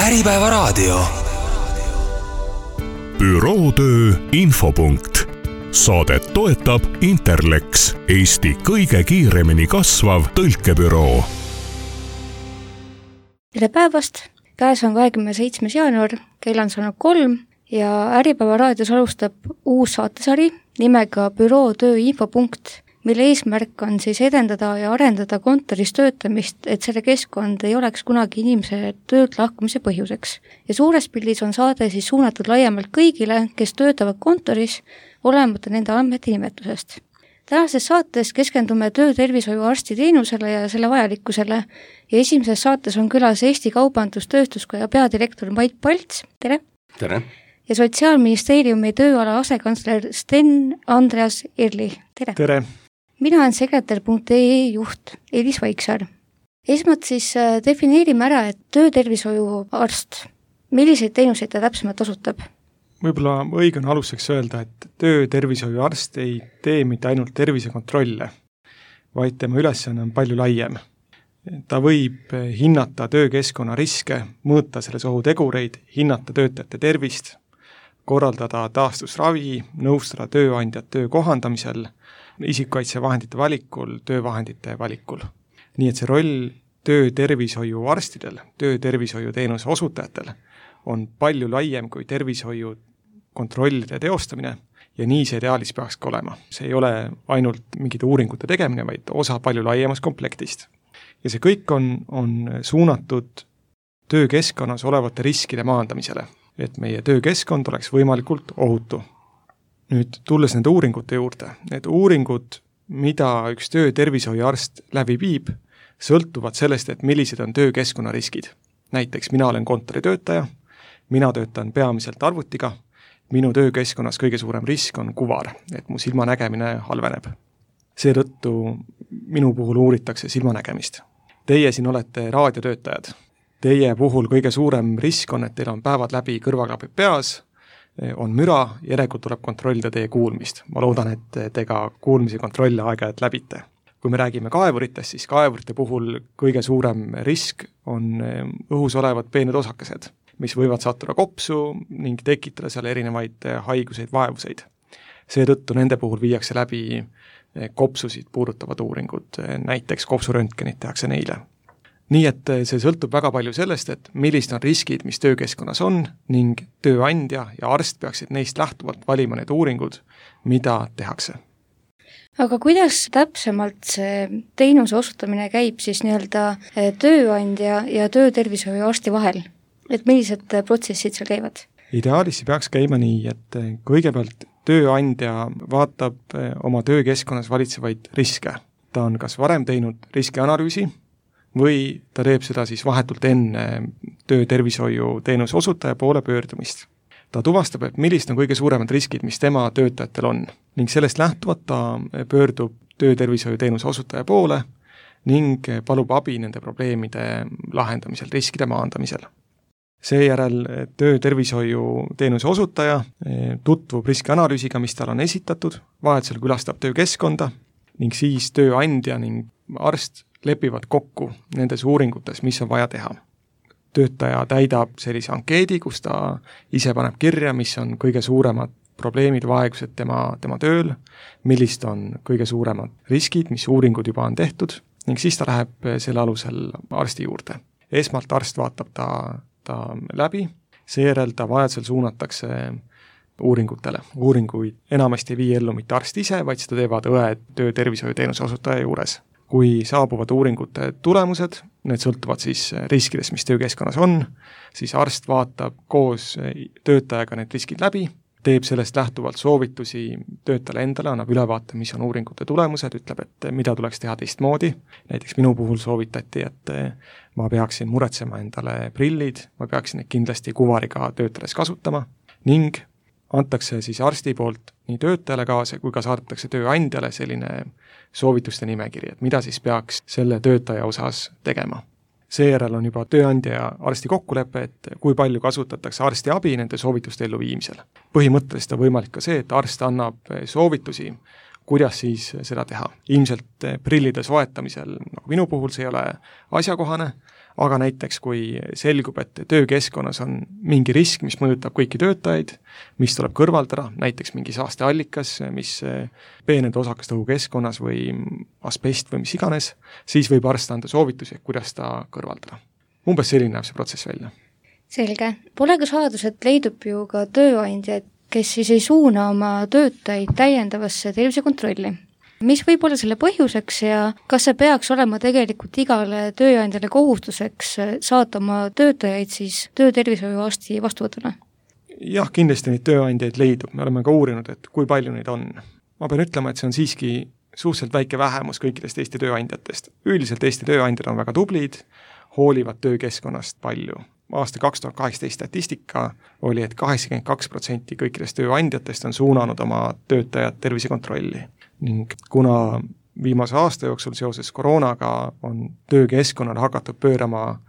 Äripäevaraadio. Bürootöö infopunkt. Saadet toetab Interlex, Eesti kõige kiiremini kasvav tõlkebüroo. Tere päevast! Käes on 27. jaanuar, kell on saanud 3 ja Äripäevaraadios alustab uus saatesari nimega Bürootöö infopunkt, mille eesmärk on siis edendada ja arendada kontoris töötamist, et selle keskkond ei oleks kunagi inimese töölt lahkumise põhjuseks. Ja suures pildis on saade siis suunatud laiemalt kõigile, kes töötavad kontoris, olemata nende andmete nimetusest. Tänases saates keskendume töötervishoiuarsti teenusele ja selle vajalikkusele ja esimeses saates on külas Eesti Kaubandus-Tööstuskoja peadirektor Mait Palts, tere! Tere! Ja Sotsiaalministeeriumi tööala asekantsler Sten Andreas Irli, tere! Tere! Mina olen sekretär.ee juht Elis Vaiksaar. Esmalt siis defineerime ära, et töötervishoiuarst, milliseid teenuseid ta täpsemalt osutab? Võib-olla õige on aluseks öelda, et töötervishoiuarst ei tee mitte ainult tervisekontrolle, vaid tema ülesanne on palju laiem. Ta võib hinnata töökeskkonna riske, mõõta selles ohutegureid, hinnata töötajate tervist, korraldada taastusravi, nõustada tööandjat töö kohandamisel, isikukaitsevahendite valikul, töövahendite valikul. Nii et see roll töötervishoiuarstidel, töötervishoiuteenuse osutajatel on palju laiem kui tervishoiu kontrollide teostamine ja nii see ideaalis peaks ka olema. See ei ole ainult mingite uuringute tegemine, vaid osa palju laiemast komplektist. Ja see kõik on suunatud töökeskkonnas olevate riskide maandamisele, et meie töökeskkond oleks võimalikult ohutu. Nüüd tulles nende uuringute juurde, need uuringud, mida üks töötervishoiuarst läbi viib, sõltuvad sellest, et millised on töökeskkonna riskid. Näiteks mina olen kontoritöötaja, mina töötan peamiselt arvutiga, minu töökeskkonnas kõige suurem risk on kuvar, et mu silmanägemine halveneb. Seetõttu minu puhul uuritakse silmanägemist. Teie siin olete raadiotöötajad. Teie puhul kõige suurem risk on, et teil on päevad läbi kõrvaklapid peas, on müra, järelikult tuleb kontrollida teie kuulmist. Ma loodan, et te ka kuulmise kontrolle aeg-ajalt läbite. Kui me räägime kaevuritest, siis kaevurite puhul kõige suurem risk on õhus olevad peened osakesed, mis võivad sattuda kopsu ning tekitada seal erinevaid haiguseid, vaevuseid. Seetõttu nende puhul viiakse läbi kopsusid puudutavad uuringud, näiteks kopsuröntgenit tehakse neile. Nii et see sõltub väga palju sellest, et millised on riskid, mis töökeskkonnas on ning tööandja ja arst peaksid neist lähtuvalt valima need uuringud, mida tehakse. Aga kuidas täpsemalt see teenuse osutamine käib siis nii-öelda tööandja ja töötervishoiuarsti vahel? Et millised protsessid seal käivad? Ideaalis peaks käima nii, et kõigepealt tööandja vaatab oma töökeskkonnas valitsevaid riske. Ta on kas varem teinud riskianalüüsi või ta teeb seda siis vahetult enne töötervishoiu teenuse osutaja poole pöördumist. Ta tuvastab, et millised on kõige suuremad riskid, mis tema töötajatel on ning sellest lähtuvalt ta pöördub töötervishoiu teenuse osutaja poole ning palub abi nende probleemide lahendamisel, riskide maandamisel. Seejärel töötervishoiu teenuse osutaja tutvub riskianalüüsiga, mis tal on esitatud, vajadusel külastab töökeskkonda ning siis tööandja ning arst lepivad kokku nendes uuringutes, mis on vaja teha. Töötaja täidab sellise ankeedi, kus ta ise paneb kirja, mis on kõige suuremad probleemid, vaegused tema tööl, millist on kõige suuremad riskid, mis uuringud juba on tehtud ning siis ta läheb selle alusel arsti juurde. Esmalt arst vaatab ta läbi, seejärel ta vajadusel suunatakse uuringutele. Uuringuid enamasti ei vii ellu mitte arst ise, vaid seda teevad õed töötervishoiuteenuse osutaja juures. Kui saabuvad uuringute tulemused, need sõltuvad siis riskidest, mis töökeskkonnas on, siis arst vaatab koos töötajaga need riskid läbi, teeb sellest lähtuvalt soovitusi töötajale endale, annab ülevaate, mis on uuringute tulemused, ütleb, et mida tuleks teha teistmoodi. Näiteks minu puhul soovitati, et ma peaksin muretsema endale prillid, ma peaksin neid kindlasti kuvariga töötades kasutama ning antakse siis arsti poolt nii töötajale kaasa, kui ka saadetakse tööandjale selline soovituste nimekiri, et mida siis peaks selle töötaja osas tegema. Seejärel on juba tööandja ja arsti kokkulepe, et kui palju kasutatakse arsti abi nende soovituste elluviimisel. Põhimõtteliselt on võimalik ka see, et arst annab soovitusi, kuidas siis seda teha. Ilmselt prillide soetamisel, nagu minu puhul see ei ole asjakohane, aga näiteks kui selgub, et töökeskkonnas on mingi risk, mis mõjutab kõiki töötajaid, mis tuleb kõrvaldada, näiteks mingi saasteallikas, mis peened osakest õhukeskkonnas või asbest või mis iganes, siis võib arst anda soovitusi, kuidas ta kõrvaldada. Umbes selline näeb see protsess välja. Selge. Pole ka saadus, et leidub ju ka tööandjaid, kes siis ei suuna oma töötajaid täiendavasse tervisekontrolli. Mis võib olla selle põhjuseks ja kas see peaks olema tegelikult igale tööandjale kohustuseks saata oma töötajaid siis töötervishoiuarsti vastuvõtule? Jah, kindlasti neid tööandjaid leidub, me oleme ka uurinud, et kui palju neid on. Ma pean ütlema, et see on siiski suhteliselt väike vähemus kõikidest Eesti tööandjatest. Üldiselt Eesti tööandjad on väga tublid, hoolivad töökeskkonnast palju. Aasta 2018 statistika oli, et 82% kõikidest tööandjatest on suunanud oma töötajad tervisekontrolli. Ning kuna viimase aasta jooksul seoses koroonaga on töökeskkonnale hakatud pöörama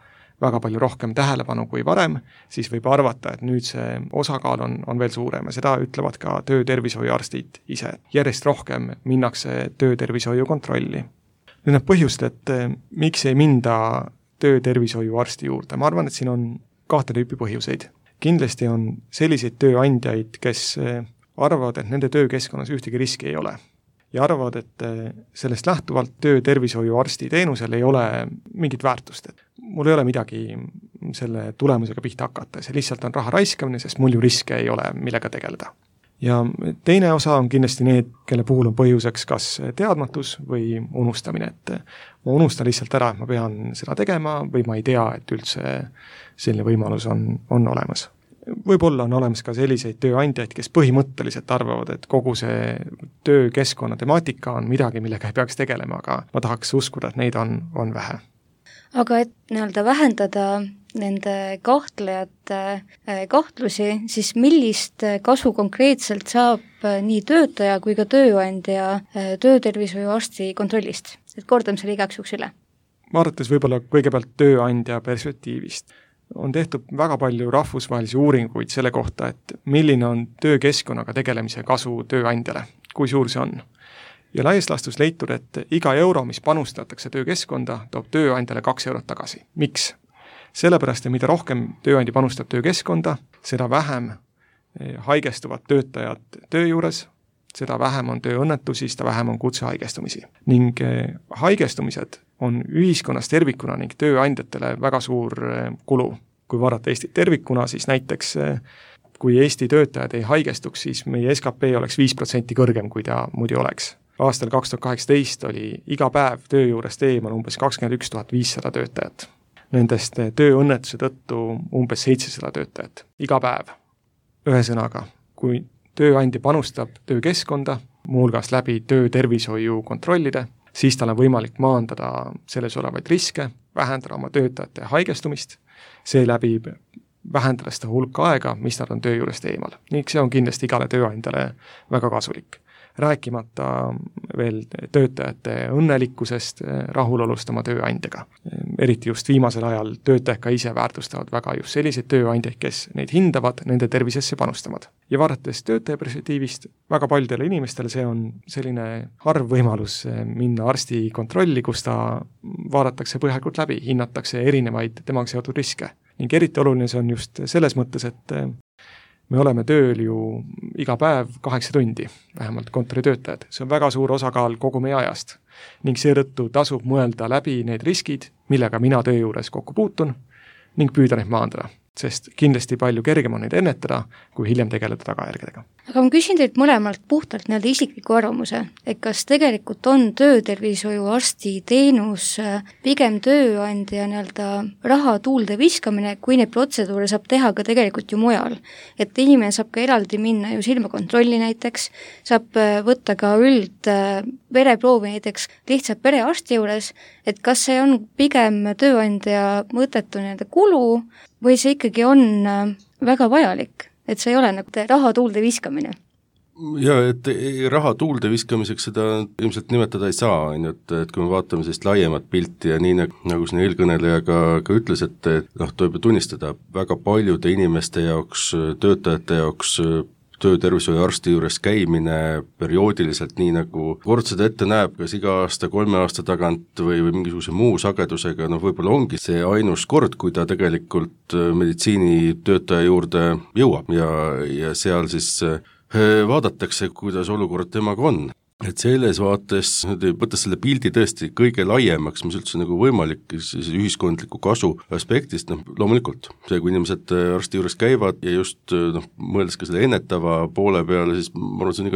väga palju rohkem tähelepanu kui varem, siis võib arvata, et nüüd see osakaal on veel suurem ja seda ütlevad ka töötervishoiuarstid ise. Järjest rohkem minnakse töötervishoiu kontrolli. Nüüd need põhjused, et miks ei minda töötervishoiuarsti juurde, ma arvan, et siin on 2 tüüpi põhjuseid. Kindlasti on selliseid tööandjaid, kes arvavad, et nende töökeskkonnas ühtegi riski ei ole. Ja arvavad, et sellest lähtuvalt töötervishoiuarsti teenusel ei ole mingit väärtust. Et mul ei ole midagi selle tulemusega pihta hakata, see lihtsalt on raha raiskamine, sest mul ju riske ei ole, millega tegeleda. Ja teine osa on kindlasti need, kelle puhul on põhjuseks kas teadmatus või unustamine, et ma unustan lihtsalt ära, et ma pean seda tegema või ma ei tea, et üldse selline võimalus on olemas. Võib-olla on olemas ka selliseid tööandjaid, kes põhimõtteliselt arvavad, et kogu see töökeskkonna temaatika on midagi, millega ei peaks tegelema, aga ma tahaks uskuda, et neid on vähe. Aga et nii-öelda vähendada nende kahtlejate kahtlusi, siis millist kasu konkreetselt saab nii töötaja kui ka tööandja töötervishoiuarsti kontrollist? Et kordame selle igaks juhuks üle. Vaadates võib-olla kõigepealt tööandja perspektiivist. On tehtud väga palju rahvusvahelisi uuringuid selle kohta, et milline on töökeskkonnaga tegelemise kasu tööandjale, kui suur see on. Ja laias laastus leitud, et iga euro, mis panustatakse töökeskkonda, toob tööandjale 2 eurot tagasi. Miks? Sellepärast, et mida rohkem tööandja panustab töökeskkonda, seda vähem haigestuvad töötajad töö juures, seda vähem on tööõnnetusi, seda vähem on kutsehaigestumisi. Ning haigestumised on ühiskonnas tervikuna ning tööandjatele väga suur kulu. Kui vaadata Eestit tervikuna, siis näiteks kui Eesti töötajad ei haigestuks, siis meie SKP oleks 5% kõrgem, kui ta muidu oleks. Aastal 2018 oli iga päev töö juurest eemal umbes 21 500 töötajat. Nendest tööõnnetuse tõttu umbes 700 töötajat. Iga päev. Ühesõnaga, kui tööandja panustab töökeskkonda, muuhulgas läbi töötervishoiu kontrollide, siis tal on võimalik maandada selles olevaid riske, vähendada oma töötajate haigestumist, seeläbi vähendada seda hulka aega, mis nad on töö juurest eemal. Ning see on kindlasti igale tööandjale väga kasulik. Rääkimata veel töötajate õnnelikkusest, rahulolust oma tööandjaga. Eriti just viimasel ajal töötajad ka ise väärtustavad väga just selliseid tööandjaid, kes neid hindavad, nende tervisesse panustavad. Ja vaadates töötaja perspektiivist, väga paljudele inimestele see on selline harv võimalus minna arsti kontrolli, kus ta vaadatakse põhjalikult läbi, hinnatakse erinevaid temaga seotud riske. Ning eriti oluline see on just selles mõttes, et me oleme tööl ju iga päev 8 tundi, vähemalt kontoritöötajad. See on väga suur osakaal kogu meie ajast. Ning seetõttu tasub mõelda läbi need riskid, millega mina töö juures kokku puutun, ning püüda neid maandada. Sest kindlasti palju kergem on neid ennetada, kui hiljem tegeleda tagajärgedega. Aga ma küsin teilt mõlemalt puhtalt nii-öelda isikliku arvamuse, et kas tegelikult on töötervishoiuarsti teenus pigem tööandja nii-öelda raha tuulde viskamine, kui neid protseduure saab teha ka tegelikult ju mujal. Et inimene saab ka eraldi minna ju silmakontrolli näiteks, saab võtta ka vereproovi näiteks lihtsalt perearsti juures, et kas see on pigem tööandja mõttetu nii-öelda kulu või see ikkagi on väga vajalik? Et see ei ole nagu raha tuulde viskamine. Ja, et raha tuulde viskamiseks seda ilmselt nimetada ei saa, et kui me vaatame sellist laiemat pilti ja nii nagu siin eelkõneleja ka ütles, et tuleb tunnistada väga paljude inimeste jaoks, töötajate jaoks töötervishoiuarsti juures käimine perioodiliselt, nii nagu kord seda ette näeb, kas iga aasta, 3 aasta tagant või mingisuguse muu sagedusega, võib-olla ongi see ainus kord, kui ta tegelikult meditsiinitöötaja juurde jõuab ja seal siis vaadatakse, kuidas olukord temaga on. Et selles vaates, võttes selle pildi tõesti kõige laiemaks, mis üldse nagu võimalik ühiskondliku kasu aspektist, loomulikult see, kui inimesed arsti juures käivad ja just mõeldes ka selle ennetava poole peale, siis ma arvan, see on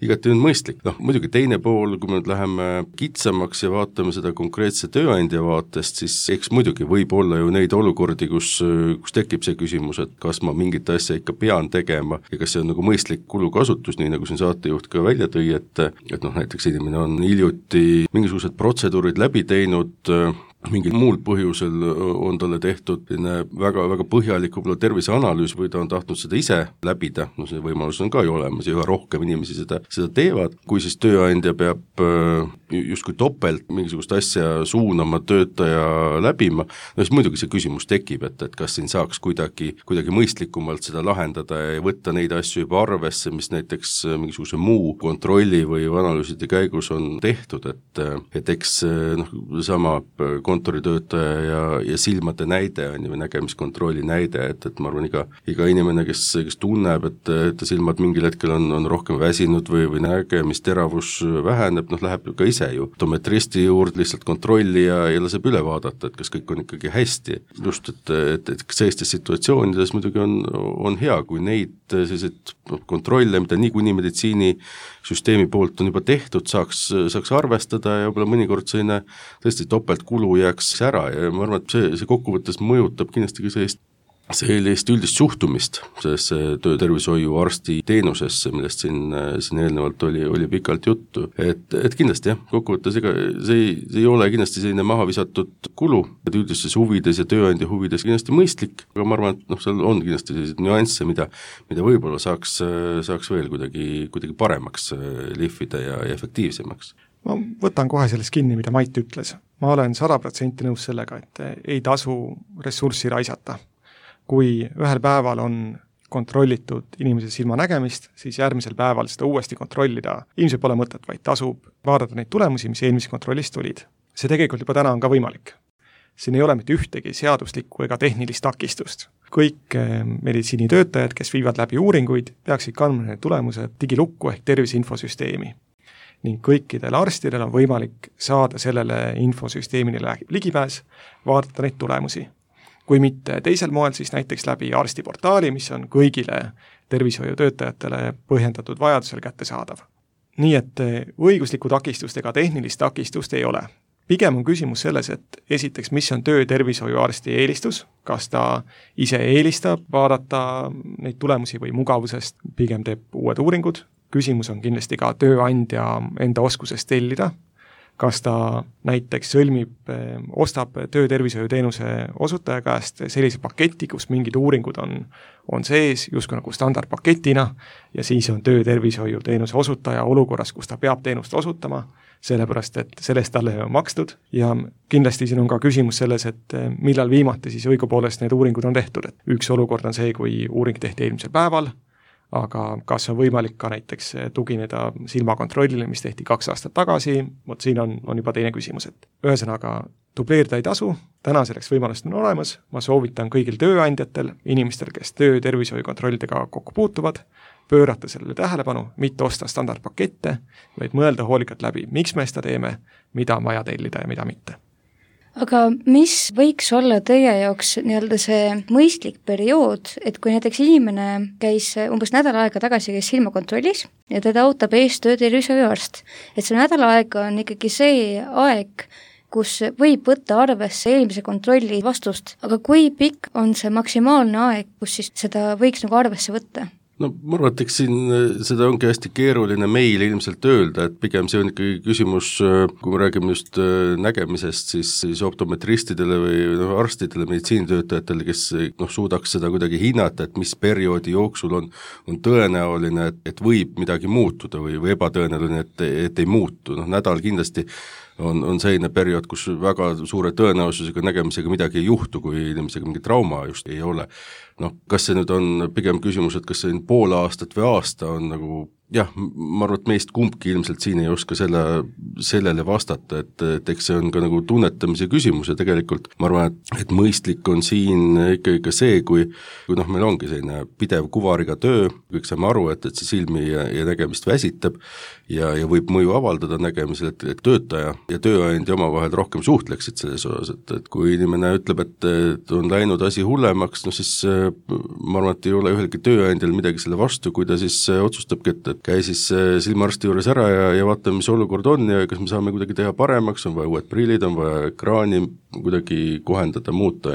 igati mõistlik. Muidugi teine pool, kui me nüüd läheme kitsamaks ja vaatame seda konkreetse tööandja vaatest, siis eks muidugi võib olla ju neid olukordi, kus tekib see küsimus, et kas ma mingit asja ikka pean tegema ja kas see on nagu mõistlik kulukasutus, nii nagu siin saatejuht ka välja tõi, et näiteks inimene on hiljuti mingisugused protseduurid läbi teinud, mingil muul põhjusel on talle tehtud väga, väga põhjalik võib-olla terviseanalüüs või ta on tahtnud seda ise läbida, see võimalus on ka ju olemas ja üha rohkem inimesi seda teevad, kui siis tööandja peab justkui topelt mingisugust asja suunama töötaja läbima, siis muidugi see küsimus tekib, et kas siin saaks kuidagi mõistlikumalt seda lahendada ja võtta neid asju juba arvesse, mis näiteks mingisuguse muu kontrolli või analüüside käigus on tehtud, et eks sama kontoritöötaja ja silmade näide on ju nägemiskontrolli näide, et ma arvan, iga inimene, kes tunneb, et ta silmad mingil hetkel on rohkem väsinud või nägemisteravus väheneb, läheb ka ise ju optometristi juurde lihtsalt kontrolli ja laseb üle vaadata, et kas kõik on ikkagi hästi. Just, et sellistes situatsioonides muidugi on hea, kui neid selliseid kontrolle, mida niikuinii meditsiinisüsteemi poolt on juba tehtud, saaks arvestada ja võib-olla mõnikord selline tõesti topeltkulu jääks ära ja ma arvan, et see kokkuvõttes mõjutab kindlasti ka sellist üldist suhtumist sellesse töötervishoiuarsti teenusesse, millest siin eelnevalt oli pikalt juttu, et kindlasti jah, kokkuvõttes ega see ei ole kindlasti selline maha visatud kulu, et üldistes huvides ja tööandja huvides kindlasti mõistlik, aga ma arvan, et seal on kindlasti selliseid nüansse, mida võib-olla saaks veel kuidagi paremaks lihvida ja efektiivsemaks. Ma võtan kohe sellest kinni, mida Mait ütles. Ma olen 100% nõus sellega, et ei tasu ressurssi raisata. Kui ühel päeval on kontrollitud inimese silmanägemist, siis järgmisel päeval seda uuesti kontrollida ilmselt pole mõtet, vaid tasub vaadata neid tulemusi, mis eelmises kontrollist tulid. See tegelikult juba täna on ka võimalik. Siin ei ole mitte ühtegi seaduslikku ega tehnilist takistust. Kõik meditsiinitöötajad, kes viivad läbi uuringuid, peaksid kandma need tulemused digilukku ehk terviseinfosüsteemi. Ning kõikidel arstidel on võimalik saada sellele infosüsteemile ligipääs, vaadata neid tulemusi. Kui mitte teisel moel, siis näiteks läbi arstiportaali, mis on kõigile tervishoiutöötajatele põhjendatud vajadusel kättesaadav. Nii et õiguslikku takistust ega tehnilist takistust ei ole. Pigem on küsimus selles, et esiteks, mis on töötervishoiuarsti eelistus, kas ta ise eelistab vaadata neid tulemusi või mugavusest, pigem teeb uued uuringud. Küsimus on kindlasti ka tööandja enda oskusest tellida, kas ta näiteks ostab töötervishoiuteenuse osutaja käest sellise paketi, kus mingid uuringud on sees justkui nagu standardpaketina ja siis on töötervishoiuteenuse osutaja olukorras, kus ta peab teenust osutama, sellepärast et sellest talle on makstud ja kindlasti siin on ka küsimus selles, et millal viimati siis õigupoolest need uuringud on tehtud, et üks olukord on see, kui uuring tehti eelmisel päeval, aga kas on võimalik ka näiteks tugineda silmakontrollile, mis tehti 2 aastat tagasi, siin on juba teine küsimus, et ühesõnaga dubleerida ei tasu, täna selleks võimalust on olemas, ma soovitan kõigil tööandjatel, inimestel, kes töötervishoiukontrollidega kokku puutuvad, pöörata sellele tähelepanu, mitte osta standardpakette, vaid mõelda hoolikalt läbi, miks me seda teeme, mida on vaja tellida ja mida mitte. Aga mis võiks olla teie jaoks nii-öelda see mõistlik periood, et kui näiteks inimene käis umbes nädal aega tagasi silmakontrollis ja teda ootab ees töötervishoiuarst, et see nädal aega on ikkagi see aeg, kus võib võtta arvesse eelmise kontrolli vastust, aga kui pikk on see maksimaalne aeg, kus siis seda võiks nagu arvesse võtta? No ma arvan, et eks siin seda ongi hästi keeruline meil ilmselt öelda, et pigem see on ikkagi küsimus, kui me räägime just nägemisest, siis optometristidele või arstidele, meditsiinitöötajatele, kes suudaks seda kuidagi hinnata, et mis perioodi jooksul on tõenäoline, et võib midagi muutuda või ebatõenäoline, et ei muutu. Nädal kindlasti on selline periood, kus väga suure tõenäosusega nägemisega midagi ei juhtu, kui inimesega mingi trauma just ei ole. Kas see nüüd on pigem küsimus, et kas see on pool aastat või aasta on nagu jah, ma arvan, et meist kumbki ilmselt siin ei oska sellele vastata, et eks see on ka nagu tunnetamise küsimus ja tegelikult ma arvan, et mõistlik on siin ikkagi ka see, kui meil ongi selline pidev kuvariga töö, kõik saame aru, et see silmi ja nägemist väsitab ja võib mõju avaldada nägemisel, et töötaja ja tööandja omavahel rohkem suhtleksid selles osas, et kui inimene ütleb, et on läinud asi hullemaks, siis ma arvan, et ei ole ühelgi tööandjal midagi selle vastu, kui ta siis otsustabki, et käi siis silmaarsti juures ära ja vaatame, mis olukord on ja kas me saame kuidagi teha paremaks, on vaja uued prillid, on vaja ekraani kuidagi kohendada, muuta.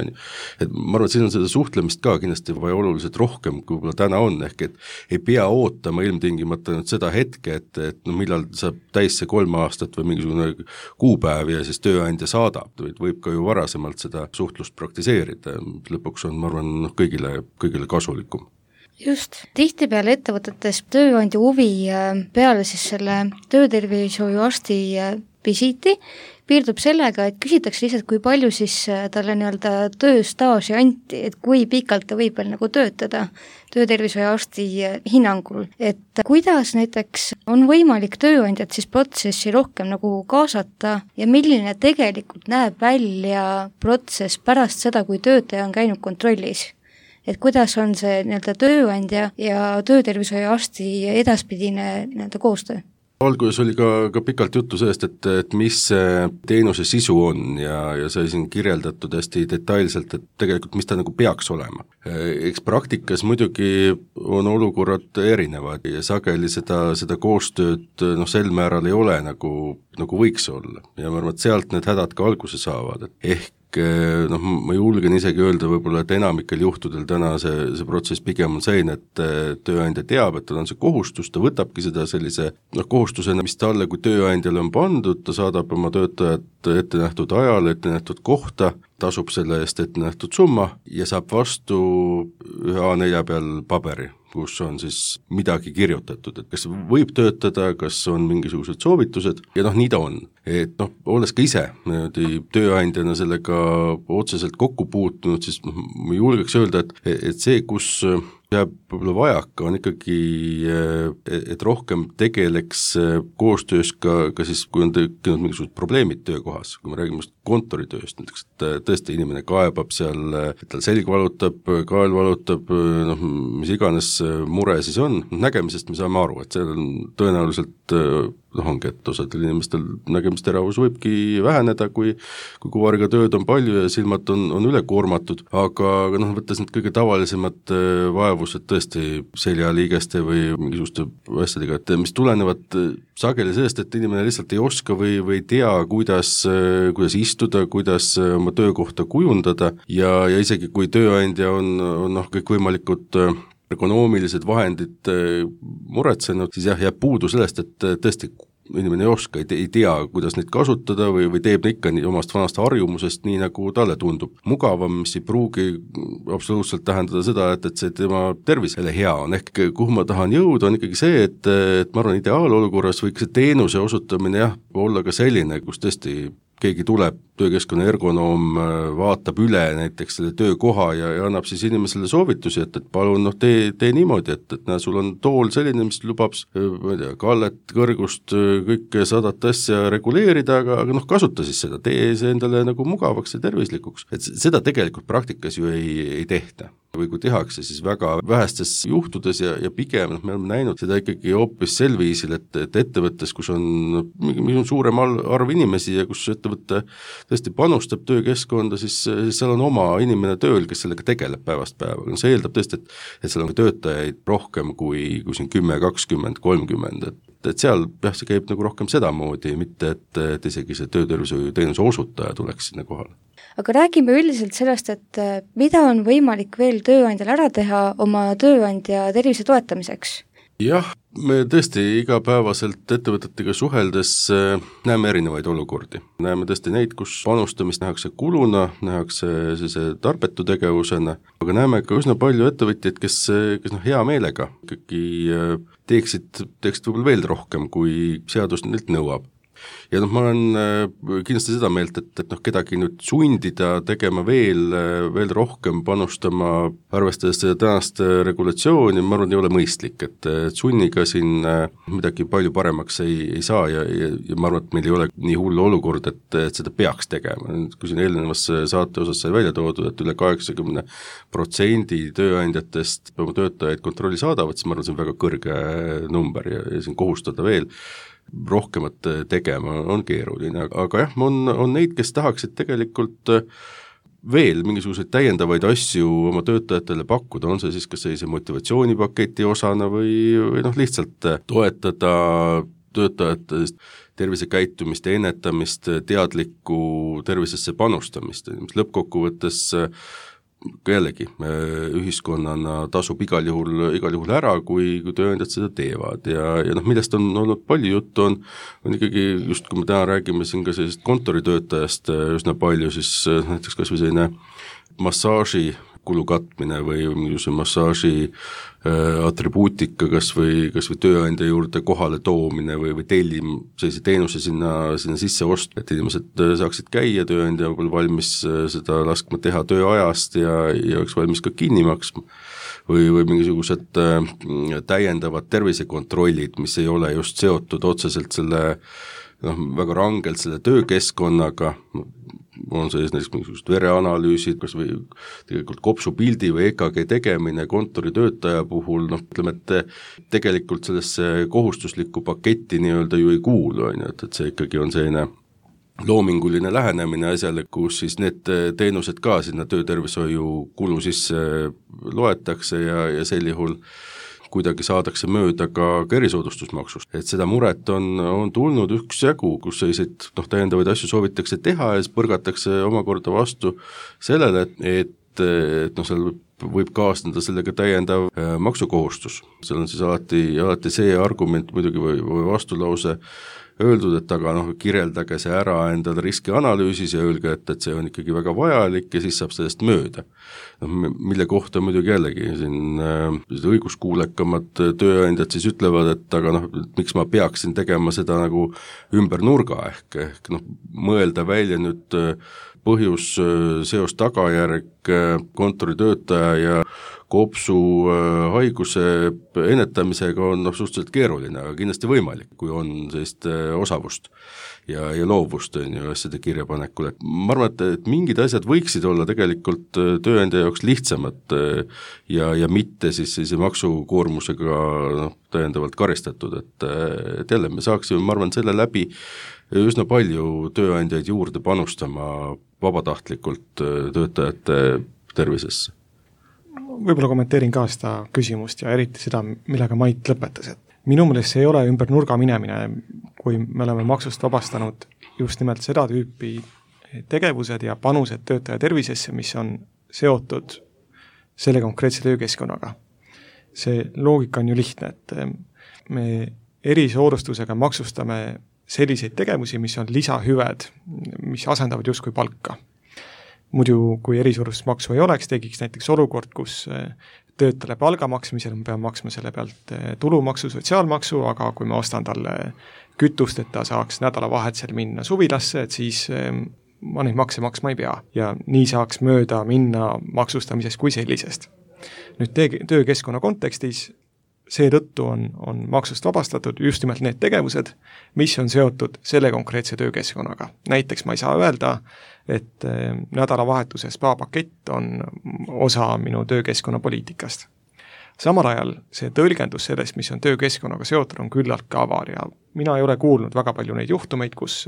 Et ma arvan, et siin on seda suhtlemist ka kindlasti vaja oluliselt rohkem, kui võib-olla täna on, ehk et ei pea ootama ilmtingimata seda hetke, et millal saab täis see 3 aastat või mingisugune kuupäev ja siis tööandja saadab, võib ka ju varasemalt seda suhtlust praktiseerida, lõpuks on, ma arvan, kõigile kasulikum. Just, tihtipeale ettevõtetes tööandja huvi peale siis selle töötervishoiuarsti visiiti piirdub sellega, et küsitakse lihtsalt, kui palju siis talle nii-öelda tööstaaži anti, et kui pikalt ta võib veel nagu töötada töötervishoiuarsti hinnangul, et kuidas näiteks on võimalik tööandjat siis protsessi rohkem nagu kaasata ja milline tegelikult näeb välja protsess pärast seda, kui töötaja on käinud kontrollis? Et kuidas on see nii-öelda tööandja ja töötervishoiuarsti edaspidine nii-öelda koostöö? Alguses oli ka pikalt juttu sellest, et mis teenuse sisu on ja sai siin kirjeldatud hästi detailselt, et tegelikult mis ta nagu peaks olema. Eks praktikas muidugi on olukorrad erinevad ja sageli seda koostööd sel määral ei ole nagu võiks olla ja ma arvan, et sealt need hädad ka alguse saavad, ehk ma julgen isegi öelda võib-olla, et enamikel juhtudel täna see protsess pigem on selline, et tööandja teab, et tal on see kohustus, ta võtabki seda sellise kohustusena, mis talle kui tööandjale on pandud, ta saadab oma töötajat ette nähtud ajal, ette nähtud kohta, tasub selle eest ette nähtud summa ja saab vastu ühe A4 peal paberi, kus on siis midagi kirjutatud, et kas võib töötada, kas on mingisugused soovitused ja nii ta on. Et olles ka ise tööandjana sellega otseselt kokku puutunud, siis ma julgeks öelda, et see, kus jääb võib-olla vajaka, on ikkagi, et rohkem tegeleks koostöös ka siis, kui on tekkinud mingisugused probleemid töökohas, kui me räägime kontoritööst, näiteks, et tõesti inimene kaebab seal, et tal selg valutab, kael valutab, mis iganes mure siis on, nägemisest me saame aru, et seal on tõenäoliselt ongi, et osadel inimestel nägemisteravus võibki väheneda, kui kuvariga tööd on palju ja silmad on ülekoormatud, aga võttes need kõige tavalisemad vaevused tõesti seljaliigeste või mingisuguste asjadega, et mis tulenevad sageli sellest, et inimene lihtsalt ei oska või ei tea, kuidas istuda, kuidas oma töökohta kujundada ja isegi kui tööandja on kõikvõimalikud ergonoomilised vahendid muretsenud, siis jääb puudu sellest, et tõesti inimene ei oska, ei tea, kuidas neid kasutada või teeb ikka omast vanast harjumusest nii, nagu talle tundub mugavam, mis ei pruugi absoluutselt tähendada seda, et see tema tervisele hea on, ehk kuhu ma tahan jõuda, on ikkagi see, et ma arvan, ideaalolukorras võiks see teenuse osutamine olla ka selline, kus tõesti keegi tuleb, töökeskkonna ergonoom vaatab üle näiteks selle töökoha ja annab siis inimesele soovitusi, et palun tee niimoodi, et näe, sul on tool selline, mis lubab kallet, kõrgust, kõike 100 asja reguleerida, aga kasuta siis seda, tee see endale nagu mugavaks ja tervislikuks. Et seda tegelikult praktikas ju ei tehta. Või kui tehakse, siis väga vähestes juhtudes ja pigem me oleme näinud seda ikkagi hoopis sel viisil, et ettevõttes, kus on mingi suurem arv inimesi ja kus ettevõtte tõesti panustab töökeskkonda, siis seal on oma inimene tööl, kes sellega tegeleb päevast päeva. See eeldab tõesti, et seal on töötajaid rohkem kui siin 10, 20, 30, et seal see käib nagu rohkem sedamoodi, mitte et isegi see töötervishoiuteenuse osutaja tuleks sinna kohale. Aga räägime üldiselt sellest, et mida on võimalik veel tööandjal ära teha oma tööandja tervise toetamiseks? Jah, me tõesti igapäevaselt ettevõtetega suheldes näeme erinevaid olukordi. Näeme tõesti neid, kus panustamist nähakse kuluna, nähakse tarbetu tegevusena, aga näeme ka üsna palju ettevõtjaid, kes hea meelega ikkagi teeksid võib-olla veel rohkem, kui seadus neilt nõuab. Ja ma olen kindlasti seda meelt, et kedagi nüüd sundida tegema veel rohkem panustama, arvestades seda tänast regulatsiooni, ma arvan, ei ole mõistlik, et sunniga siin midagi palju paremaks ei saa ja ma arvan, et meil ei ole nii hull olukord, et seda peaks tegema. Kui siin eelnevas saate osas sai välja toodud, et üle 80% tööandjatest oma töötajaid kontrolli saadavad, siis ma arvan, see on väga kõrge number ja siin kohustada veel rohkemat tegema on keeruline, aga jah, on neid, kes tahaksid tegelikult veel mingisuguseid täiendavaid asju oma töötajatele pakkuda, on see siis kas sellise motivatsioonipaketi osana või lihtsalt toetada töötajate tervisekäitumist ja ennetamist, teadlikku tervisesse panustamist, mis lõppkokkuvõttes jällegi ühiskonnana tasub igal juhul ära, kui tööandjad seda teevad ja millest on olnud palju juttu, on ikkagi just, kui me täna räägime siin ka sellisest kontoritöötajast üsna palju, siis näiteks kas või selline massaaži kulu katmine või mingisuguse massaaži atribuutika kas või tööandja juurde kohale toomine või tellim sellise teenuse sinna sisse osta, et inimesed saaksid käia, tööandja võib olla valmis seda laskma teha tööajast ja oleks valmis ka kinni maksma või mingisugused täiendavad tervisekontrollid, mis ei ole just seotud otseselt selle väga rangelt selle töökeskkonnaga, on see näiteks mingisugused vereanalüüsid, kas või tegelikult kopsupildi või EKG tegemine kontoritöötaja puhul, ütleme, et tegelikult sellesse kohustuslikku paketti nii-öelda ju ei kuulu, et see ikkagi on selline loominguline lähenemine asjale, kus siis need teenused ka sinna töötervishoiu kulu sisse loetakse ja sel juhul kuidagi saadakse mööda ka erisoodustusmaksust. Et seda muret on tulnud üksjagu, kus selliseid täiendavaid asju soovitakse teha ja siis põrgatakse omakorda vastu sellele, et seal võib kaasneda sellega täiendav maksukohustus. Seal on siis alati see argument muidugi või vastulause öeldud, et aga kirjeldage see ära endale riskianalüüsis ja öelge, et see on ikkagi väga vajalik ja siis saab sellest mööda. Mille kohta muidugi jällegi siin õiguskuulekamad tööandjad siis ütlevad, et aga miks ma peaksin tegema seda nagu ümber nurga ehk mõelda välja nüüd põhjus, seos, tagajärg, kontoritöötaja ja kopsu haiguse ennetamisega on suhteliselt keeruline, aga kindlasti võimalik, kui on sellist osavust ja loovust asjade kirjapanekul. Et ma arvan, et mingid asjad võiksid olla tegelikult tööandja jaoks lihtsamad ja mitte siis sellise maksukoormusega täiendavalt karistatud, et jälle me saaksime, ma arvan, selle läbi üsna palju tööandjaid juurde panustama vabatahtlikult töötajate tervisesse. Võib-olla kommenteerin ka seda küsimust ja eriti seda, millega Mait lõpetas, et minu meelest see ei ole ümber nurga minemine, kui me oleme maksust vabastanud just nimelt seda tüüpi tegevused ja panused töötaja tervisesse, mis on seotud selle konkreetse töökeskkonnaga. See loogika on ju lihtne, et me erisoodustusega maksustame selliseid tegevusi, mis on lisahüved, mis asendavad justkui palka. Muidu, kui erisoodustusmaksu ei oleks, tegiks näiteks olukord, kus töötajale palga maksmisel me peame maksma selle pealt tulumaksu, sotsiaalmaksu, aga kui ma ostan talle kütust, et ta saaks nädalavahetusel minna suvilasse, et siis ma neid makse maksma ei pea. Ja nii saaks mööda minna maksustamisest kui sellisest. Nüüd töökeskkonna kontekstis seetõttu on maksust vabastatud just nimelt need tegevused, mis on seotud selle konkreetse töökeskkonnaga. Näiteks ma ei saa öelda, et nädalavahetuse spa-pakett on osa minu töökeskkonna poliitikast. Samal ajal see tõlgendus sellest, mis on töökeskkonnaga seotud, on küllalt ka avar ja mina ei ole kuulnud väga palju neid juhtumeid, kus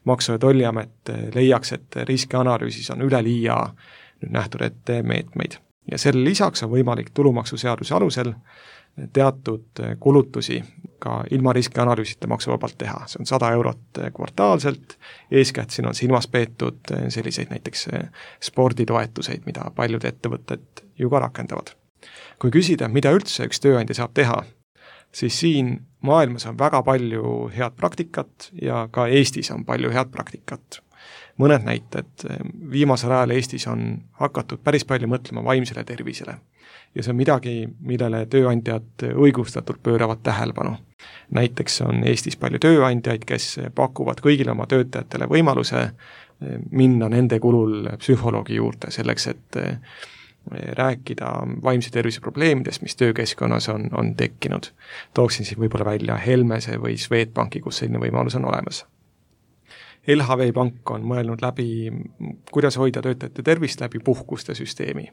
Maksu- ja Tolliamet leiaks, et riskianalüüsis on üleliia nüüd nähtud ette meetmeid. Ja selle lisaks on võimalik tulumaksuseaduse alusel teatud kulutusi ka ilma riskianalüüsita maksuvabalt teha. See on 100 eurot kvartaalselt, eeskätt siin on silmas peetud selliseid näiteks sporditoetuseid, mida paljud ettevõtted ju ka rakendavad. Kui küsida, mida üldse üks tööandja saab teha, siis siin maailmas on väga palju head praktikat ja ka Eestis on palju head praktikat. mõned näited. Viimasel ajal Eestis on hakatud päris palju mõtlema vaimsele tervisele ja see on midagi, millele tööandjad õigustatult pööravad tähelepanu. Näiteks on Eestis palju tööandjaid, kes pakuvad kõigile oma töötajatele võimaluse minna nende kulul psühholoogi juurde selleks, et rääkida vaimse tervise probleemidest, mis töökeskkonnas on tekkinud. Tooksin siin võib-olla välja Helmese või Swedbanki, kus selline võimalus on olemas. LHV Pank on mõelnud läbi, kuidas hoida töötajate tervist läbi puhkuste süsteemi.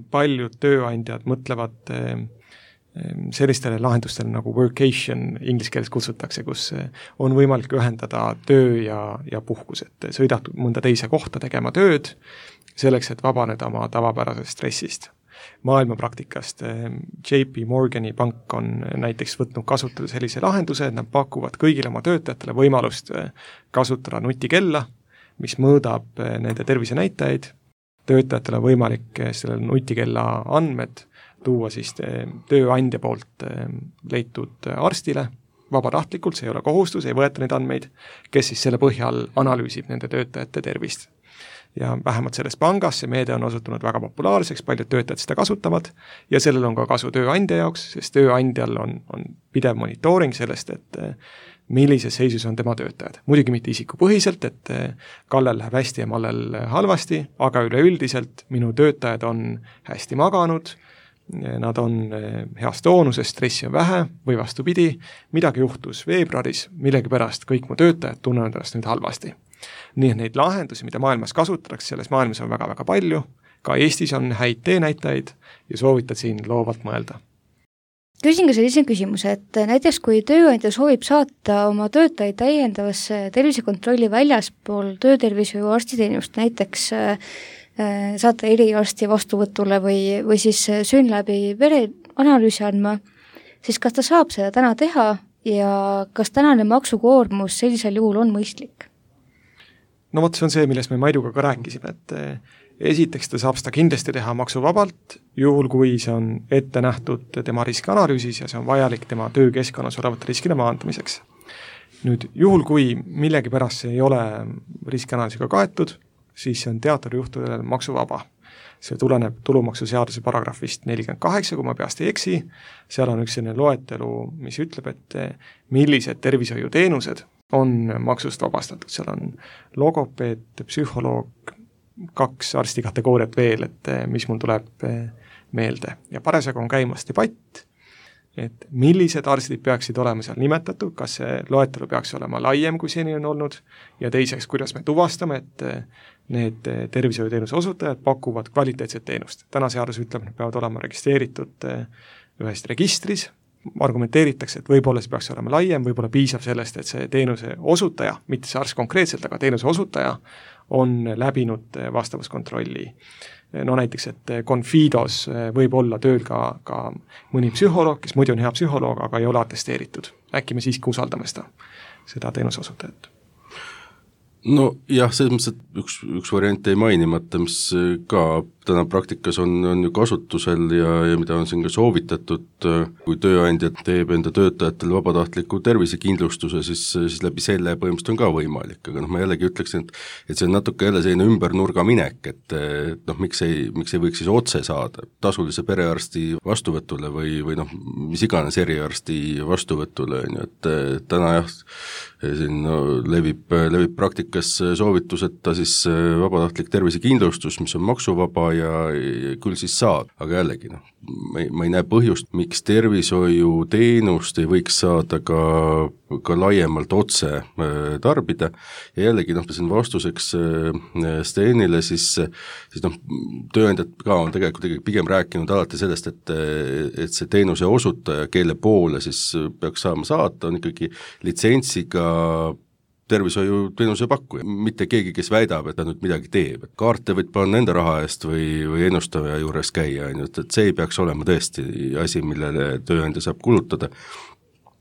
Paljud tööandjad mõtlevad sellistele lahendustele nagu workation inglise keeles kutsutakse, kus on võimalik ühendada töö ja puhkus, et sõidad mõnda teise kohta tegema tööd, selleks, et vabaneda oma tavapärasest stressist. Maailma praktikast JP Morgani pank on näiteks võtnud kasutada sellise lahenduse, et nad pakuvad kõigile oma töötajatele võimalust kasutada nutikella, mis mõõdab nende tervisenäitajaid. Töötajatele on võimalik selle nutikella andmed tuua siis tööandja poolt leitud arstile vabatahtlikult, see ei ole kohustus, ei võeta neid andmeid, kes siis selle põhjal analüüsib nende töötajate tervist. Ja vähemalt selles pangas see meede on osutunud väga populaarseks, paljud töötajad seda kasutavad ja sellel on ka kasu tööandja jaoks, sest tööandjal on pidev monitooring sellest, et millises seisus on tema töötajad. Muidugi mitte isikupõhiselt, et Kallel läheb hästi ja Mallel halvasti, aga üleüldiselt minu töötajad on hästi maganud, nad on heas toonuses, stressi on vähe või vastupidi, midagi juhtus veebruaris, millegipärast kõik mu töötajad tunnevad ennast nüüd halvasti. Nii et neid lahendusi, mida maailmas kasutatakse, selles maailmas on väga-väga palju, ka Eestis on häid teenäitajaid ja soovitan siin loovalt mõelda. Küsin ka sellise küsimuse, et näiteks kui tööandja soovib saata oma töötajaid täiendavasse tervisekontrolli väljaspool töötervishoiu arstiteenust, näiteks saata eriarsti vastuvõtule või siis SYNLABi vereanalüüsi andma, siis kas ta saab seda täna teha ja kas tänane maksukoormus sellisel juhul on mõistlik? No vot, see on see, millest me Maiduga ka rääkisime, et esiteks ta saab seda kindlasti teha maksuvabalt, juhul kui see on ette nähtud tema riskianalüüsis ja see on vajalik tema töökeskkonnas olevate riskide maandamiseks. Nüüd, juhul kui millegipärast see ei ole riskianalüüsiga kaetud, siis see on teatud juhtudel maksuvaba. See tuleneb tulumaksuseaduse paragrahvist 48, kui ma peast ei eksi, seal on üks selline loetelu, mis ütleb, et millised tervishoiuteenused on maksust vabastatud, seal on logopeed, psühholoog, 2 arstikategooriat veel, et mis mul tuleb meelde. Ja parasjagu on käimas debatt, et millised arstid peaksid olema seal nimetatud, kas see loetelu peaks olema laiem, kui seni on olnud, ja teiseks, kuidas me tuvastame, et need tervishoiuteenuse osutajad pakuvad kvaliteetset teenust. Täna seadus ütleb, et peavad olema registreeritud ühes registris, argumenteeritakse, et võib-olla see peaks olema laiem, võib-olla piisab sellest, et see teenuse osutaja, mitte see arst konkreetselt, aga teenuse osutaja on läbinud vastavuskontrolli. No näiteks, et Confidos võib olla tööl ka mõni psühholoog, kes muidu on hea psühholoog, aga ei ole atesteeritud. Äkki me siiski usaldame seda teenuse osutajat? No jah, selles mõttes, et üks variant ei mainimata, mis ka täna praktikas on ju kasutusel ja mida on siin ka soovitatud, kui tööandja teeb enda töötajatele vabatahtliku tervisekindlustuse, siis läbi selle põhimõtteliselt on ka võimalik, aga ma jällegi ütleksin, et see on natuke jälle selline ümbernurga minek, et miks ei võiks siis otse saada tasulise perearsti vastuvõtule või mis iganes eriarsti vastuvõtule, et täna jah, siin levib praktikas soovitus, et ta siis vabatahtlik tervisekindlustus, mis on maksuvaba ja küll siis saad, aga jällegi ma ei näe põhjust, miks tervishoiuteenust ei võiks saada ka laiemalt otse tarbida ja jällegi siin vastuseks Stenile siis tööandjad ka on tegelikult pigem rääkinud alati sellest, et see teenuse osutaja, kelle poole siis peaks saama saata, on ikkagi litsentsiga tervishoiuteenuse pakkuja, mitte keegi, kes väidab, et ta nüüd midagi teeb. Kaarte võid panna enda raha eest või ennustaja juures käia, et see ei peaks olema tõesti asi, millele tööandja saab kulutada.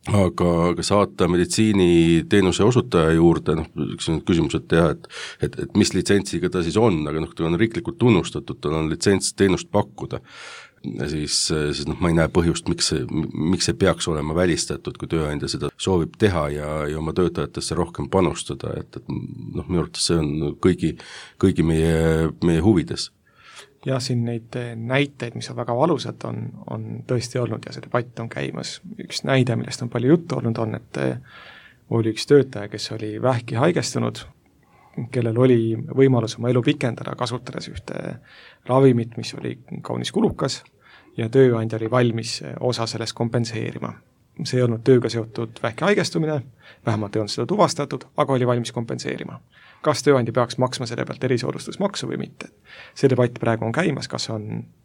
aga saata meditsiiniteenuse osutaja juurde, üks on küsimus, et teha, et mis litsentsiga ta siis on, aga ta on riiklikult tunnustatud, tal on litsents teenust pakkuda. Siis ma ei näe põhjust, miks see peaks olema välistatud, kui tööandja seda soovib teha ja oma töötajatesse rohkem panustada, et minu arvates see on kõigi meie huvides. Ja siin neid näiteid, mis on väga valusad, on tõesti olnud ja see debatt on käimas. Üks näide, millest on palju juttu olnud, on, et oli üks töötaja, kes oli vähki haigestunud, kellel oli võimalus oma elu pikendada, kasutades ühte ravimit, mis oli kaunis kulukas ja tööandja oli valmis osa sellest kompenseerima. See ei olnud tööga seotud vähki haigestumine, vähemalt ei olnud seda tuvastatud, aga oli valmis kompenseerima. Kas tööandja peaks maksma selle pealt erisoodustusmaksu või mitte? See debatt praegu on käimas, kas on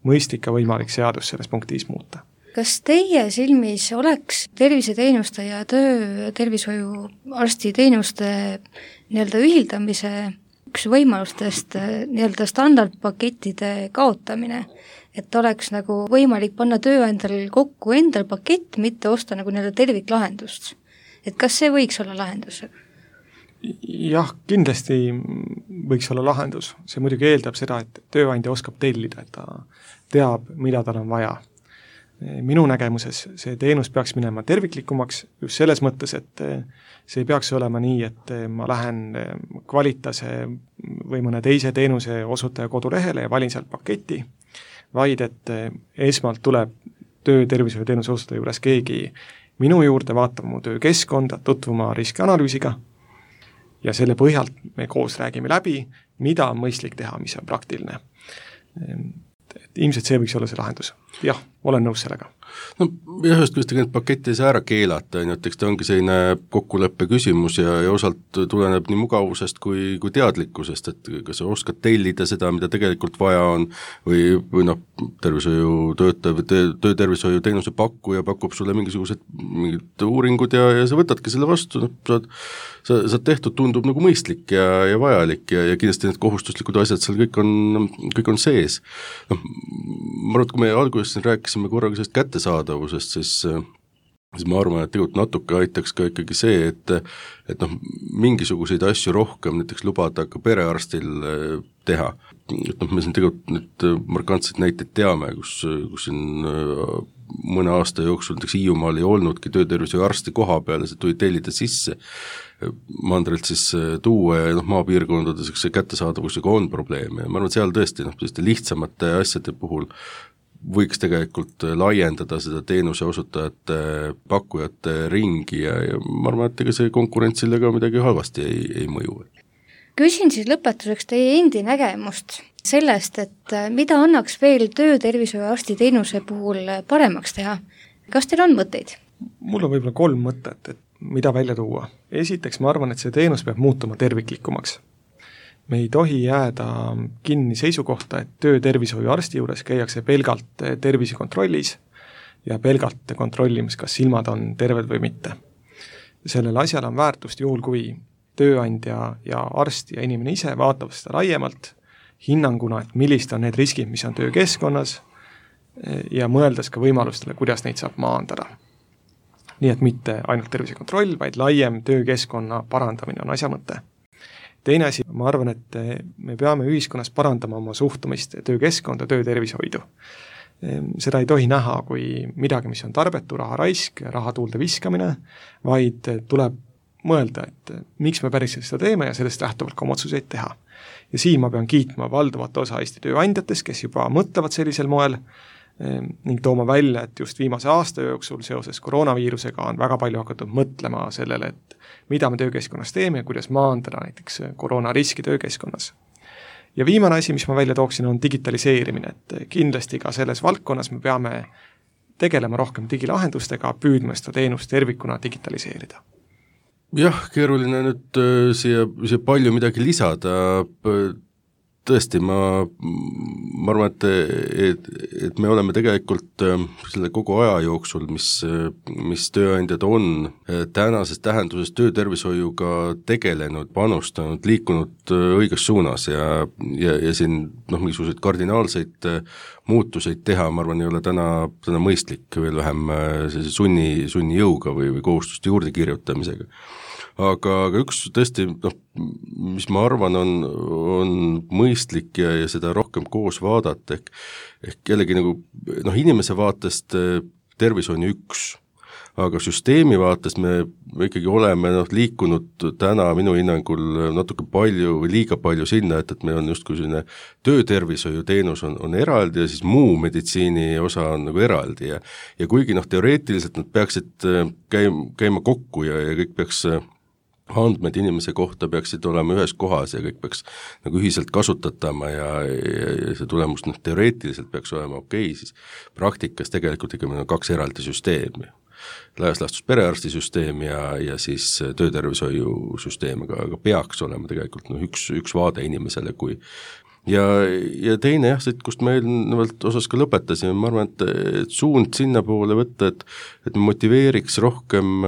mõistlik ja võimalik seadus selles punktis muuta. Kas teie silmis oleks terviseteenuste ja töötervishoiuarsti teenuste ühildamise üks võimalustest standardpakettide kaotamine, et oleks võimalik panna tööandjal kokku endal pakett, mitte osta terviklahendust? Et kas see võiks olla lahendus? Jah, kindlasti võiks olla lahendus. See muidugi eeldab seda, et tööandja oskab tellida, et ta teab, mida tal on vaja. Minu nägemuses see teenus peaks minema terviklikumaks just selles mõttes, et see ei peaks olema nii, et ma lähen Qualitase või mõne teise teenuse osutaja kodulehele ja valin sealt paketi, vaid et esmalt tuleb töötervishoiuteenuse osutaja juures keegi minu juurde vaatama mu töökeskkonda, tutvuma riskianalüüsiga ja selle põhjalt me koos räägime läbi, mida on mõistlik teha, mis on praktiline. Ilmselt see võiks olla see lahendus. Jah, olen nõus sellega. Ühest küljest tegelikult paketti ei saa ära keelata, et eks ta ongi selline kokkuleppe küsimus ja osalt tuleneb nii mugavusest kui teadlikkusest, et kas sa oskad tellida seda, mida tegelikult vaja on või töötervishoiu teenuse pakkuja pakub sulle mingid uuringud ja sa võtadki selle vastu, sa tehtud tundub mõistlik ja vajalik ja kindlasti need kohustuslikud asjad seal kõik on sees. Ma arvan, et kui me alguses siin rääkisime korraga sellest kättesaadavusest, siis ma arvan, et tegelikult natuke aitaks ka ikkagi see, et mingisuguseid asju rohkem näiteks lubada ka perearstil teha. Me siin tegelikult nüüd markantseid näiteid teame, kus siin mõne aasta jooksul näiteks Hiiumaal ei olnudki töötervishoiuarsti koha peale, see tuli tellida sisse mandrilt siis tuua ja maapiirkondades see kättesaadavusega on probleeme ja ma arvan, et seal tõesti lihtsamate asjade puhul võiks tegelikult laiendada seda teenuse osutajate pakkujate ringi ja ma arvan, et ega see konkurentsile ka midagi halvasti ei mõju. Küsin siis lõpetuseks teie endi nägemust sellest, et mida annaks veel töötervishoiuarsti teenuse puhul paremaks teha. Kas teil on mõtteid? Mul on võib-olla 3 mõtet, et mida välja tuua. Esiteks ma arvan, et see teenus peab muutuma terviklikumaks. Me ei tohi jääda kinni seisukohta, et töötervishoiuarsti juures käiakse pelgalt tervisekontrollis ja pelgalt kontrollimas, kas silmad on terved või mitte. Sellel asjal on väärtust juhul, kui tööandja ja arst ja inimene ise vaatavad seda laiemalt, hinnanguna, et millist on need riskid, mis on töökeskkonnas ja mõeldes ka võimalustele, kuidas neid saab maandada. Nii et mitte ainult tervisekontroll, vaid laiem töökeskkonna parandamine on asja mõte. Teine asi, ma arvan, et me peame ühiskonnas parandama oma suhtumist töökeskkonda, töötervishoidu. Seda ei tohi näha kui midagi, mis on tarbetu, raha raisk, raha tuulde viskamine, vaid tuleb mõelda, et miks me päriselt seda teeme ja sellest lähtuvalt ka oma otsuseid teha. Ja siin ma pean kiitma valdavat osa Eesti tööandjatest, kes juba mõtlevad sellisel moel ning tooma välja, et just viimase aasta jooksul seoses koroonaviirusega on väga palju hakatud mõtlema sellele, et mida me töökeskkonnas teeme ja kuidas maandada näiteks koroonariski töökeskkonnas. Ja viimane asi, mis ma välja tooksin, on digitaliseerimine, et kindlasti ka selles valdkonnas me peame tegelema rohkem digilahendustega, püüdma seda teenust tervikuna digitaliseerida. Jah, keeruline nüüd siia palju midagi lisada. tõesti, ma arvan, et me oleme tegelikult selle kogu aja jooksul, mis tööandjad on tänases tähenduses töötervishoiuga tegelenud, panustanud, liikunud õiges suunas ja siin mingisuguseid kardinaalseid muutuseid teha, ma arvan, ei ole täna mõistlik, veel vähem sunni jõuga või kohustuste juurde kirjutamisega. Aga üks tõesti, mis ma arvan, on mõistlik ja seda rohkem koos vaadata, ehk jällegi nagu inimese vaatest tervis on üks, aga süsteemi vaates me ikkagi oleme liikunud täna minu hinnangul natuke palju või liiga palju sinna, et meil on justkui selline töötervishoiuteenus on eraldi ja siis muu meditsiini osa on nagu eraldi ja kuigi teoreetiliselt nad peaksid käima kokku ja kõik peaks andmed inimese kohta peaksid olema ühes kohas ja kõik peaks nagu ühiselt kasutatama ja see tulemus teoreetiliselt peaks olema okei, siis praktikas tegelikult ikka meil on 2 eraldi süsteemi. Laias laastus perearstisüsteem ja siis töötervishoiusüsteem, aga peaks olema tegelikult üks vaade inimesele, kui ja teine kust me eelnevalt osas ka lõpetasime, ma arvan, et suund sinna poole võtta, et me motiveeriks rohkem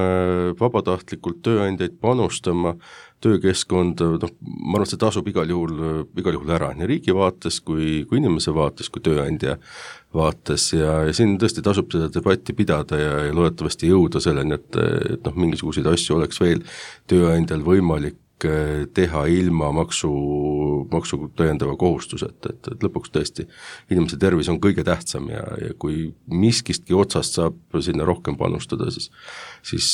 vabatahtlikult tööandjaid panustama töökeskkonda, ma arvan, et see tasub igal juhul ära, nii riigi vaates kui inimese vaates, kui tööandja vaates ja siin tõesti tasub seda debatti pidada ja loodetavasti jõuda selleni, et mingisuguseid asju oleks veel tööandjal võimalik teha ilma maksu tõendava kohustused, et lõpuks tõesti inimese tervis on kõige tähtsam ja kui miskistki otsast saab sinna rohkem panustada, siis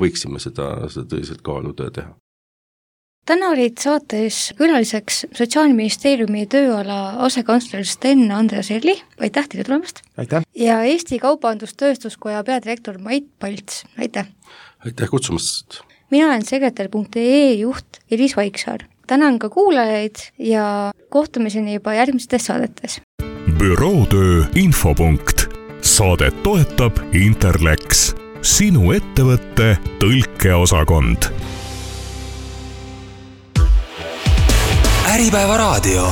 võiksime seda tõsiselt kaaluda ja teha. Täna olid saates külaliseks Sotsiaalministeeriumi tööala asekantsler Sten Andreas Erli, aitäh teile tulemast! Aitäh! Ja Eesti Kaubandus-Tööstuskoja peadirektor Mait Palts, aitäh! Aitäh kutsumast! Mina olen sekretär.ee juht Elis Vaiksaar. Tänan ka kuulajaid ja kohtumiseni juba järgmistes saadetes. Bürootöö infopunkt. Saadet toetab Interlex, sinu ettevõtte tõlkeosakond. Äripäeva raadio.